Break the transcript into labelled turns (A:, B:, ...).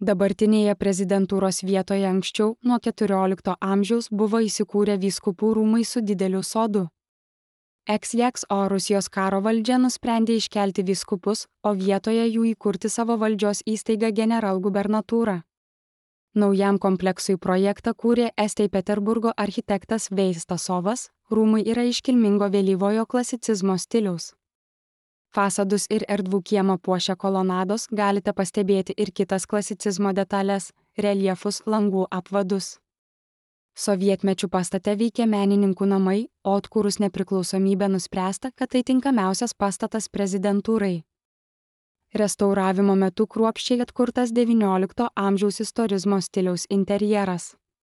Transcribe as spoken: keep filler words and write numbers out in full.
A: Dabartinėje prezidentūros vietoje anksčiau nuo keturiolikto amžiaus buvo įsikūrę vyskupų rūmai su dideliu sodu. Eks-Jeks o Rusijos karo valdžia nusprendė iškelti vyskupus, o vietoje jų įkurti savo valdžios įstaigą generalgubernatūrą. Naujam kompleksui projektą kūrė Estei Peterburgo architektas Veistasovas, rūmai yra iškilmingo vėlyvojo klasicizmo stiliaus. Fasadus ir erdvų kiemą puošia kolonados, galite pastebėti ir kitas klasicizmo detalės – reljefus, langų apvadus. Sovietmečių pastate veikė menininkų namai, o atkūrus nepriklausomybę nuspręsta, kad tai tinkamiausias pastatas prezidentūrai. Restauravimo metu kruopščiai atkurtas devyniolikto amžiaus istorizmo stiliaus interjeras.